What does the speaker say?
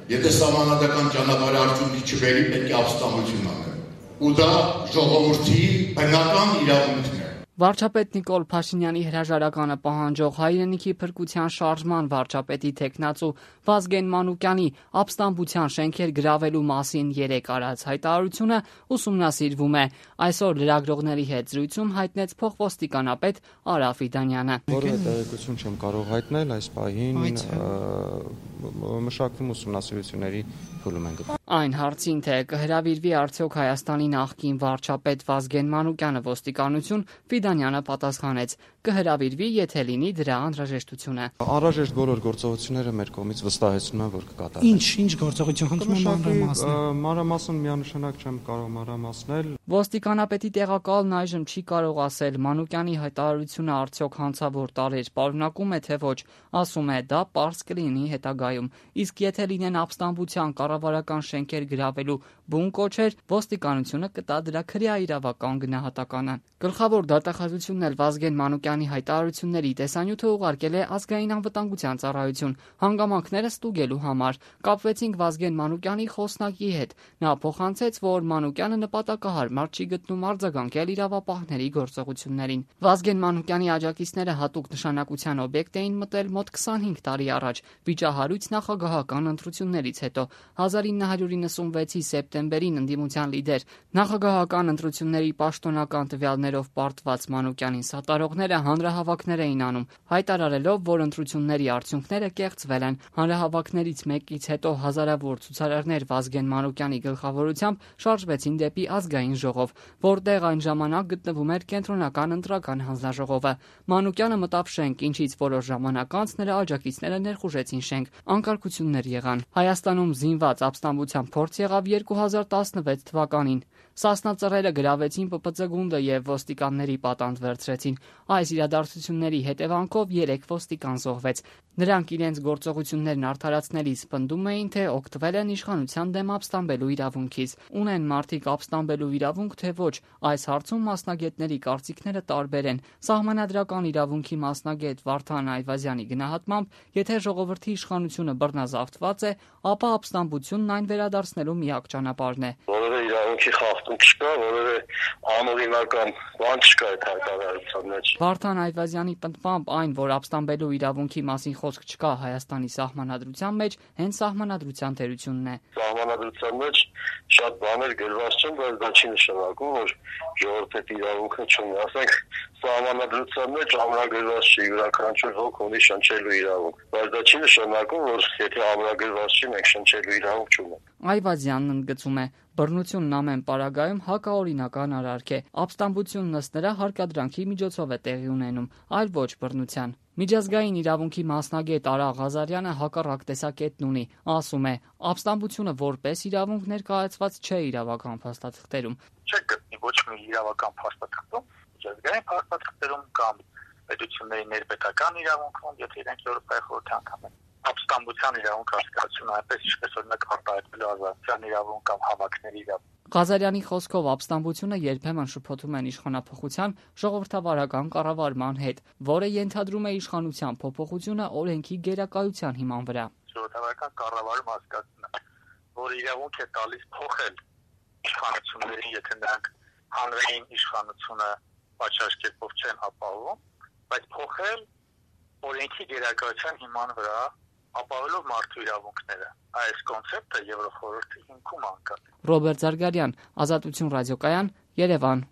Եթե սահմանադրական ճանապարհի արդյունքի չբերի, պետք է ապստամբություն անել։ Ու դա ժողովրդի բնական իրավունքն է։ Վարչապետ Նիկոլ Փաշինյանի հրաժարականը պահանջող հայրենիքի փրկության շարժման վարչապետի թեկնածու Վազգեն Մանուկյանի ապստամբության շենքեր գրավելու մասին 3 արած հայտարարությունը ուսումնասիրվում է։ Այսօր լրագրողների հետ զրույցում հայտնեց փոխոստիկանապետ Արա Ֆիդանյանը։ Որևէ տեղեկություն չեմ կարող հայտնել այս պահին, մշակվում ուսումնասիրությունների փուլում են գտնվում։ Այն հարցին, թե կհրավիրվի արդյոք Հայաստանի նախկին վարչապետ Վազգեն Մանուկյանը ոստիկանություն, Ֆիդանյանը պատասխանեց. կհրավիրվի, եթե լինի դրա անհրաժեշտությունը։ Անհրաժեշտ բոլոր գործողությունները մեր կողմից վստահեցնում են, որ կկատարվեն։ Ինչ գործողություն խնդրում եմ մանրամասնել։ Մանրամասն միանշանակ չեմ կարող մանրամասնել։ Ոստիկանապետի տեղակալն այժմ չի կարող ասել Մանուկյանի հայտարարությունը արդյոք հանցավոր տարրեր պարունակում է, թե ոչ, ասում է դա պարզ կլինի հետագայում, իսկ եթե լինեն ապստամբության կառավարական շենքեր գրավելու բուն կոչեր, ոստիկանությունը կտա դրա քրեա իրավական գնահատականը։ Գլխավոր դատախազությունն էլ Վազգեն Մանուկյանի հայտարարությունների տեսանյութը ուղարկել է Ազգային անվտանգության ծառայություն հանգամանքները ստուգելու համար։ Կապվեցինք Վազգեն Մանուկյանի խոսնակի հետ։ Նա փոխանցեց, որ Մանուկյանը նպատակահարմար չի գտնում արձագանքել իրավապահների գործողություններին։ Վազգեն Մանուկյանի աջակիցները հատուկ նշանակության օբյեկտ էին մտել մոտ 25 տարի առաջ վիճահարույց նախագահական ընտրություններից հետո 1996-ի սեպտեմբերին ընդդիմության լիդեր նախագահական ընտրությունների պաշտոնական տվյալներով պարտված Մանուկյանին սատարողները հանրահավաքներ էին անում, հայտարարելով, որ ընտրությունների արդյունքները կեղծվել են։ Հանրահավաքներից մեկից հետո հազարավոր ցուցարարներ Վազգեն Մանուկյանի գլխավորությամբ շարժվեցին դեպի Ազգային ժողով, որտեղ այն ժամանակ գտնվում էր կենտրոնական ընտրական հանձնաժողովը։ Մանուկյանը մտավ շենք, ինչից որոշ ժամանակ անց նրա աջակիցները ներխուժեցին շենք։ Անկարգություններ եղան։ Հայաստանում զինված ապստամբության փորձ եղավ 2016 թվականին։ Սասնա ծռերը գրավեցին ՊՊՑ գունդը եւ ոստիկանների պատանդ վերցրեցին։ Այս իրադարձությունների հետևանքով 3 ոստիկան զոհվեց։ Նրանք իրենց գործողություններն արդարացնելիս պնդում էին, թե օգտվել են իշխանության դեմ ապստամբելու իրավունքից։ Ունեն մարդիկ ապստամբելու իրավունք, թե ոչ, այս հարցում մասնագետների կարծիքները տարբեր են։ Սահմանադրական իրավունքի մասնագետ Վարդան Այվազյանի գնահատմամբ, եթե ժողովրդի իշխանությունը բռնազավթված է, ապա ապստամբությունն այն վերադարձնելու միակ ճանապարհն է։ Որևէ իրավունքի խախտում չկա, որևէ անօրինական բան չկա այդ հայտարարության մեջ։ Վարդան Այվազյանի պնդմամբ այն, որ ապստամբելու իրավունքի մասին խոսք չկա Հայաստանի սահմանադրության մեջ, հենց սահմանադրության թերությունն է։ Սահմանադրության մեջ շատ բաներ գրված չեն, բայց դա չի նշանակում, որ ժողովրդի իրավունքը չունի։ Ասենք սահմանադրության մեջ ամրագրված չի, յուրաքանչյուր ոք ունի շնչելու իրավունք, բայց դա չի նշանակում, որ եթե ամրագրված չի, մենք շնչելու իրավունք չունենք։ Այվազյանն ընդգծում է. բռնությունն ամեն պարագայում հակաօրինական արարք է։ Ապստամբությունն ըստ նրա հարկադրանքի միջոցով է տեղի ունենում, այլ ոչ բռնության։ Միջազգային իրավունքի մասնագետ Արա Ղազարյանը հակառակ տեսակետն ունի, ասում է. ապստամբությունը որպես իրավունք ներկայացված չէ իրավական փաստաթղթերում։ Չէ գտնի ոչ մի իրավական փաստաթղթում, միջազգային փաստաթղթերում կամ պետությունների ներպետական իրավունքում, եթե իրենք Եվրոպայի խորհրդի անդամ են։ Ապստամբության իրավունք հասկացությունը այնպես ինչպես օրինակ արտահայտվելու ազատության իրավունք կամ հավաքների իրավունք։ Ղազարյանի խոսքով ապստամբությունը երբեմն շփոթում են իշխանափոխության ժողովրդավարական կառավարման հետ, որը ենթադրում է իշխանության փոփոխությունը օրենքի գերակայության հիման վրա։ Ժողովրդավարական կառավարում հասկացնում է, որ իրավունք է տալիս փոխել իշխանությունների, եթե նրանք հանրային իշխանությունը պատշաճ կերպով չեն ապահովում, բայց փոխել օրենքի գերակայության հիման վրա ապահովելով մարդու իրավունքները։ Այս կոնցեպտը Եվրոխորհրդի հիմքում անկա։ Ռոբերտ Զարգարյան, Ազատություն ռադիոկայան, Երևան։